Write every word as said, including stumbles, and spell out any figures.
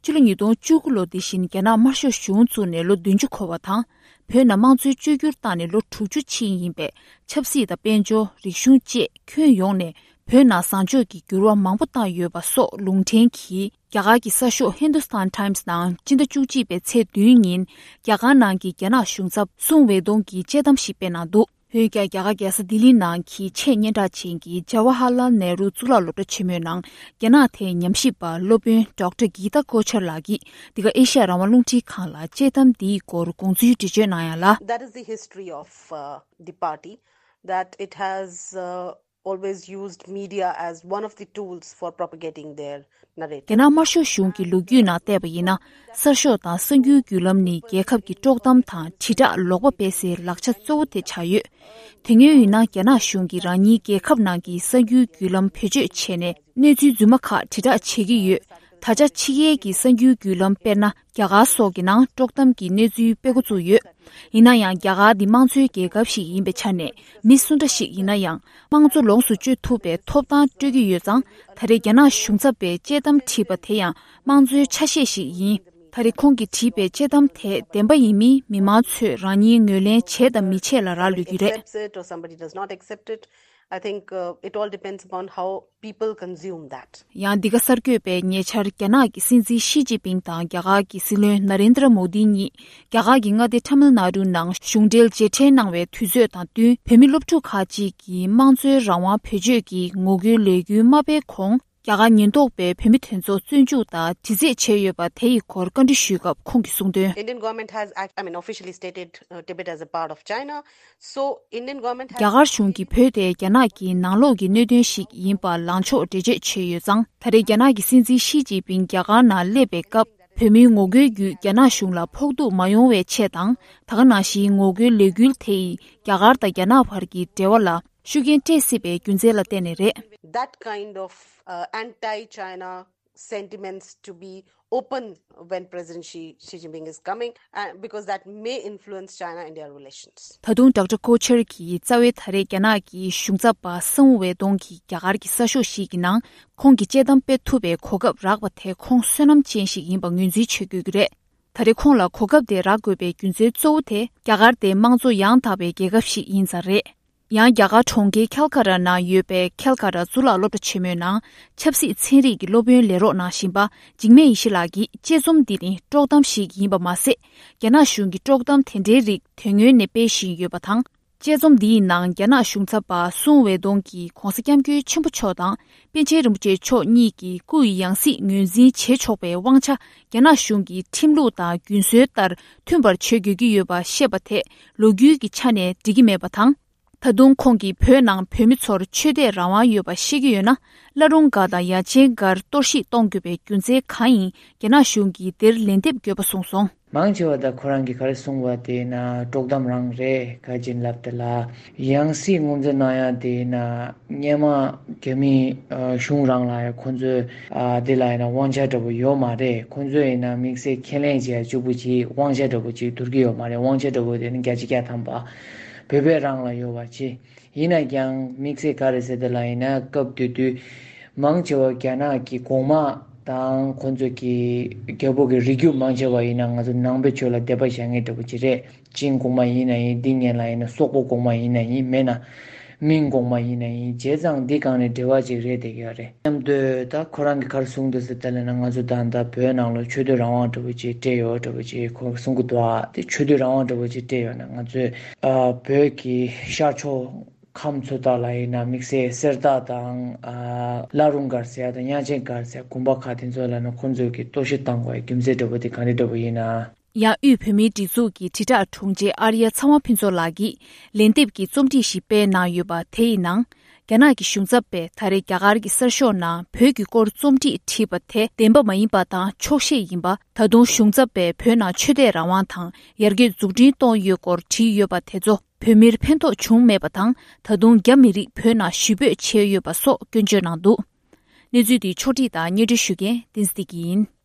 ཕྱི་ལོ་ཉིས་སྟོང་བཅུ་དགུ་ལོ་འདི་བཞིན་རྒྱ་ནག་དམར་ཤོག་གཞུང་བཙུགས་ནས་ལོ་བདུན་ཅུ་འཁོར་བ་དང་། བོད་ནང་དམངས་གཙོའི་བཅོས་བསྒྱུར་བཏང་ནས་ལོ་དྲུག་ཅུ་ཕྱིན་ཡིན་པས། ཆབ་སྲིད་དང་དཔལ་འབྱོར། རིག་གཞུང་བཅས་ཁྱོན་ཡོངས་ནས་བོད་ནང་བཟང་ཕྱོགས་ཀྱི་འགྱུར་བ་མང་པོ་བཏང་ཡོད་པ་སོགས་ལུང་འདྲེན་གྱིས། རྒྱ་གར་གྱི་གསར་ཤོག་Hindustan Times ནང་སྤྱི་ཟླ་བཅུ་གཅིག་པའི་ཚེས་བདུན་ཉིན། རྒྱ་གར་ནང་གི་རྒྱ་ནག་གཞུང་ཚབ་སུང་ཝེ་ཏུང་གིས་དཔྱད་གཏམ་ཞིག་སྤེལ་གནང་འདུག་འོན་ཀྱང་། རྒྱ་གར་རྒྱལ་ས་ལྡི་ལི་ནང་གི་ཆེས་སྙན་གྲགས་ཅན་གྱི་ཇ་ཝ་ཧར་ལཱལ་ནེ་རུ་གཙུག་ལག་སློབ་གྲྭ་ཆེན་མོའི་ནང་རྒྱ་ནག་ཐད་ཉམས་ཞིབ་པ་སློབ་དཔོན་ཌོག་ཊར་གི་ཏཱ་ཀོ་ཆར་ལགས་ཀྱིས་འདི་ག་ཨེ་ཤ་ཡ་རང་དབང་རླུང་འཕྲིན་ཁང་ལ་དཔྱད་གཏམ་འདིའི་སྐོར་དགོངས་ཚུལ་འགྲེལ་བརྗོད་གནང་ཡ་ལ། That is the history of, uh, the party, that it has, uh, always used media as one of the tools for propagating their narrative. རྒྱ་ནག་དམར་ཤོག་གཞུང་གི་ལོ་རྒྱུས་ནང་བལྟས་པ་ཡིན་ན། གསར་ཤོག་དང་གསར་འགྱུར་བརྒྱུད་ལམ་ནི་རྒྱལ་ཁབ་ཀྱི་དཀྲོག་གཏམ་དང་དྲིལ་བསྒྲགས་ལོག་པ་སྤེལ་སའི་ལག་ཆ་གཙོ་བོ་དེ་ཆགས་ཡོད། དེ་སྔོན་ཡིན་ན། རྒྱ་ནག་གཞུང་གིས་རང་ཉིད་རྒྱལ་ཁབ་ནང་གི་གསར་འགྱུར་བརྒྱུད་ལམ་བེད་སྤྱོད་བྱས་ནས། གནས་ཚུལ་རྫུན་མ་ཁག་དྲིལ་བསྒྲགས་བྱེད་ཀྱི་ཡོད། ད་ཆ་ཕྱི་རྒྱལ་གྱི་གསར་འགྱུར་བརྒྱུད་ལམ་དཔེར་ན། རྒྱ་གར་སོགས་ཀྱི་ནང་དཀྲོག་གཏམ་གྱི་གནས་ཚུལ་སྤེལ་འགོ་བཙུགས་ཡོད། ཡིན་ན་ཡང་། རྒྱ་གར་འདི་དམངས་གཙོའི་རྒྱལ་ཁབ་ཞིག་ཡིན་པའི་ཆ་ནས། མི་སུ་འདྲ་ཞིག་ཡིན་ན་ཡང་། དམངས་གཙོ་ལོངས་སུ་སྤྱོད་ཐུབ་པའི་ཐོབ་ཐང་སྤྲོད་ཀྱི་ཡོད་ཙང་། ད་རེས་རྒྱ་ནག་གཞུང་ཚབ་པས་དཔྱད་གཏམ་བྲིས་པ་དེ་ཡང་དམངས་གཙོའི་ཆ་ཤས་ཤིག་ཡིན། ད་རེས་ཁོང་གིས་བྲིས་པའི་དཔྱད་གཏམ་དེ་བདེན་པ་ཡིན་མིན་མི་མང་ཚོས་རང་ཉིད་ངོས་ལེན་བྱས་དང་མི་བྱས་ལ་རག་ལུས་ཀྱི་རེད། Accepts it or somebody does not accept it. I think, uh, it all depends upon how people consume that. ཡང་འདི་ག་གསར་འགོད་པས་ཉེ་ཆར་རྒྱ་ནག་གི་སྲིད་འཛིན་ཞི་ཅིན་ཕིང་དང་རྒྱ་གར་གྱི་སྲིད་བློན་ན་རེན་དྲ་མོ་དི་གཉིས་རྒྱ་གར་གྱི་མངའ་སྡེ་ཊ་མིལ་ནཱ་ཌུ་ནང་གཞུང་འབྲེལ་མཇལ་འཕྲད་གནང་བའི་དུས་ཚོད་དང་བསྟུན། བོད་མི་སློབ་ཕྲུག་ཁག་ཅིག་གིས་དམངས་གཙོའི་རང་དབང་བེད་སྤྱོད་ཀྱི་ངོ་རྒོལ་ལས་འགུལ་མ་སྤེལ་གོང་། རྒྱ་གར་ཉེན་རྟོག་པས་བོད་མི་དེ་ཚོ་བཙོན་འཇུག་དང་དྲི་རྩད་བྱས་ཡོད་པ་དེ་ཡི་སྐོར་བཀའ་འདྲི་ཞུས་སྐབས་ཁོང་གིས་གསུངས་དོན། Indian government has act- I mean, officially stated, uh, Tibet as a part of China. So, Indian government has རྒྱ་གར་གཞུང་གིས་བོད་དེ་རྒྱ་ནག་གི་ནང་ལོགས་ཀྱི་གནད་དོན་ཞིག་ཡིན་པ་ལངས་ཕྱོགས་འགྲེལ་བརྗོད་བྱས་ཡོད་ཙང་། ད་རེས་རྒྱ་ནག་གི་སྲིད་འཛིན་ཞི་ཅིན་ཕིང་རྒྱ་གར་ནང་སླེབས་པའི་སྐབས། བོད་མིའི་ངོ་རྒོལ་བརྒྱུད་རྒྱ་ནག་གཞུང་ལ་ཕོག་ཐུག་མ་ཡོང་བའི་ཆེད་དང་། ད་ག་ནང་བཞིན་ངོ་རྒོལ་ལས་འགུལ་དེ་ཡིས་རྒྱ་གར་དང་རྒྱ་ནག་བར་གྱི་འབྲེལ་བ་ལ་ཤུགས་རྐྱེན་སྤྲད་སྲིད་པའི་རྒྱུ་མཚན་ལ་བརྟེན་ནས་རེད། That kind of, uh, anti-China sentiments to be open when President Xi, Xi Jinping is coming, uh, because that may influence China-India relations. ད་དུང་ཌོག་ཊར་ཀོ་ཆར་གྱིས་རྩ་བའི་ད་རེས་རྒྱ་ནག་གི་གཞུང་ཚབ་པ་སུང་ཝེ་ཏུང་གིས་རྒྱ་གར་གྱི་གསར་ཤོག་ཞིག་གི་ནང་ཁོང་གིས་དཔྱད་གཏམ་སྤེལ་ཐུབ་པའི་གོ་སྐབས་རག་པ་དེ་ཁོང་བསོད་ནམས་ཅན་ཞིག་ཡིན་པ་ངོས་འཛིན་བྱེད་དགོས་ཀྱི་རེད། ད་རེས་ཁོང་ལ་གོ་སྐབས་དེ་རག་དགོས་པའི་རྒྱུ་མཚན་གཙོ་བོ་དེ་རྒྱ་གར་དེ་དམངས་གཙོ་ཡང་དག་པའི་རྒྱལ་ཁབ་ཞིག་ཡིན་ཙང་རེད། ཡང་རྒྱ་གར་གྲོང་ཁྱེར་ཁལ་ཀ་ཏ་ནང་ཡོད་པའི་ཁལ་ཀ་ཏ་གཙུག་ལག་སློབ་གྲྭ་ཆེན་མོའི་ནང་ཆབ་སྲིད་ཚན་རིག་གི་སློབ་དཔོན་ལས་རོགས་གནང་བཞིན་པ་འཇིགས་མེད་ཡེ་ཤེས་ལགས་ཀྱིས། དཔྱད་རྩོམ་འདི་ནི་དཀྲོག་གཏམ་ཞིག་ཡིན་པ་མ་ཟད། རྒྱ་ནག་གཞུང་གིས་དཀྲོག་གཏམ་དེ་འདྲའི་རིགས་དོན་ངོ་ནས་སྤེལ་བཞིན་ཡོད་པ་དང་། དཔྱད་རྩོམ་འདིའི་ནང་རྒྱ་ནག་གཞུང་ཚབ་པ་སུང་ཝེ་ཏུང་གིས་༧གོང་ས་༧སྐྱབས་མགོན་ཆེན་པོ་མཆོག་དང་པཎ་ཆེན་རིན་པོ་ཆེ་མཆོག་གཉིས་ཀྱི་སྐུ་ཡི་ཡང་སྲིད་ངོས་འཛིན་བྱེད་ཆོག་པའི་དབང་ཆ་རྒྱ་ནག་གཞུང་གི་ཁྲིམས་ལུགས་དང་རྒྱུན་སྲོལ་ལྟར་མཐུན་པར་བྱེད་དགོས་ཀྱི་ཡོད་པ་བཤད་པ་དེ་ལོ་རྒྱུས་ཀྱི་ཆ་ནས་འགྲིག་གི་མེད་པ་དང་། ད་དུང་ཁོང་གིས་བོད་ནང་བོད་མི་ཚོར་ཆོས་དད་རང་དབང་ཡོད་པ་བཤད་ཀྱི་ཡོད་ན། བླ་རུང་སྒར་དང་ཡ་ཆེན་སྒར་གཏོར་བཤིག་གཏོང་དགོས་པའི་རྒྱུ་མཚན་གང་ཡིན། རྒྱ་ནག་གཞུང་གིས་དེར་ལན་འདེབས་དགོས་པ་གསུངས་སོང་། མང་ཆེ་བ་ད་ཁོ་རང་གིས་ག་རེ་གསུངས་པ་དེ་ན་དཀྲོག་གཏམ་རང་རེད། ག་ཅིན་ལབ་དེ་ལ་ཡང་སྲིད་ངོས་འཛིན་གནང་ཡ་དེ་ན་སྔོན་མ་རྒྱ་མི་ཨ་གཞུང་རང་ལ་ཡ་ཁོ་ཚོས་ཨ་དེ་ལ་ཡ་ན་དབང་ཆ་འདྲ་པོ་ཡོད་མ་རེད། ཁོ་ཚོས་ཡིན་ན་དམིགས་བསལ་ཁས་ལེན་བྱས་གཅིག་པུ་ཅིག་དབང་ཆ་འདྲ་པོ་ཅིག་བསྡུར་གྱི་ཡོད་མ་རེད། དབང་ཆ་འདྲ་པོ་དེ་ནི་བརྒྱ་ཆ་བརྒྱ་ཐམ་པ་བོད་པའི་རང་ལ་ཡོད་པ་ཅིག་ཡིན་ན་ཀྱང་དམིགས་བསལ་ག་རེ་ཟེར་དེ་ལ་ཡིན་ན་སྐབས་དེ་དུས་མང་ཆེ་བ་རྒྱ་ནག་གི་གོང་མ་དང་ཁོ་ཚོ་གི་རྒྱལ་པོ་གི་རིགས་རྒྱུད་མང་ཆེ་བ་ཡིན་ན་ང་ཚོ་ནང་པའི་ཆོས་ལ་དད་པ་བྱ་མཁན་འདྲ་པོ་ཅིག་རེད། ཅིན་གོང་མ་ཡིན་ན་ཡིན། འདི་སྔོན་ལ་ཡིན་ན་སོག་པོ་གོང་མ་ཡིན་ན་ཡིན། མེད་ན་མིང་གོང་མ་ཡིན་ན་ཡིན། བྱས་ཙང་འདི་སྒང་ནས་འབྲེལ་བ་ཅིག་རེད་བསྡད་ཀྱི་ཡོད་རེད། མཉམ་དུ་ད་ཁོ་རང་གིས་ག་རེ་གསུངས་འདུག་ཟེར་དེ་ལ་ན་ང་ཚོ་ད་ལྟ་བོད་ནང་ལ་ཆོས་དད་རང་དབང་འདྲ་པོ་ཅིག་སྤྲད་ཡོད་འདྲ་པོ་ཅིག་ཁོ་གསུང་གི་འདུག་ཨ་དེ་ཆོས་དད་རང་དབང་འདྲ་པོ་ཅིག་སྤྲད་ཡོད་ན་ང་ཚོས་ཨ་བོད་ཀྱི་ཤར་ཕྱོགས་ཁམས་ཚོ་དག་ལ་ཡིན་ན་དམིགས་བསལ་གསེར་རྟ་དང་ཨ་བླ་རུང་སྒར་ཟེར་ཡ་དང་གཡང་ཆེན་སྒར་ཟེར་དགོན་པ་ཁག་དེ་ཚོ་ལ་ན་ཁོང་ཚོས་ཀྱི་གཏོར་བཤིག་བཏང་དགོས་རྒྱུ་མཚན་འདྲ་པོ་དེ་ག་རེ་འདྲ་པོ་ཡིན་ན། ཡང་དབུས་བོད་མིའི་སྒྲིག་འཛུགས་ཀྱི་དྲིལ་བསྒྲགས་དྲུང་ཆེ་ཨར་ཡ་ཚ་དབང་ཕུན་ཚོགས་ལགས་ཀྱིས་ལན་འདེབས་ཀྱི་རྩོམ་སྒྲིག་ཞིག་སྤེལ་གནང་ཡོད་པ་དེ་ཡི་ནང་། རྒྱ་ནག་གི་གཞུང་ཚབ་པས་ད་རེས་རྒྱ་གར་གྱི་གསར་ཤོག་ནང་བོད་ཀྱི་སྐོར་རྩོམ་སྒྲིག་བྲིས་པ་དེ་བདེན་པ་མ་ཡིན་པ་དང་འཁྱོག་བཤད་ཡིན་པ། ད་དུང་གཞུང་ཚབ་པས་བོད་ནང་ཆོས་དད་རང་དབང་དང་ཡར་རྒྱས་འཛུགས་སྐྲུན་གཏོང་ཡོད་སྐོར་བྲིས་ཡོད་པ་དེ་ཚོ་བོད་མིར་ཕན་ཐོགས་བྱུང་མེད་པ་དང་། ད་དུང་རྒྱ་མི་རིགས་བོད་ནང་ཞི་སྤོས་བྱས་ཡོད་པ་སོགས་སྐྱོན་བརྗོད་གནང་འདུག་གནས་ཚུལ་འདི་ཕྱོགས་སྒྲིག་དང་སྙན་སྒྲོན་ཞུ་མཁན་བསྟན་འཛིན་བདེ་སྐྱིད་ཡིན།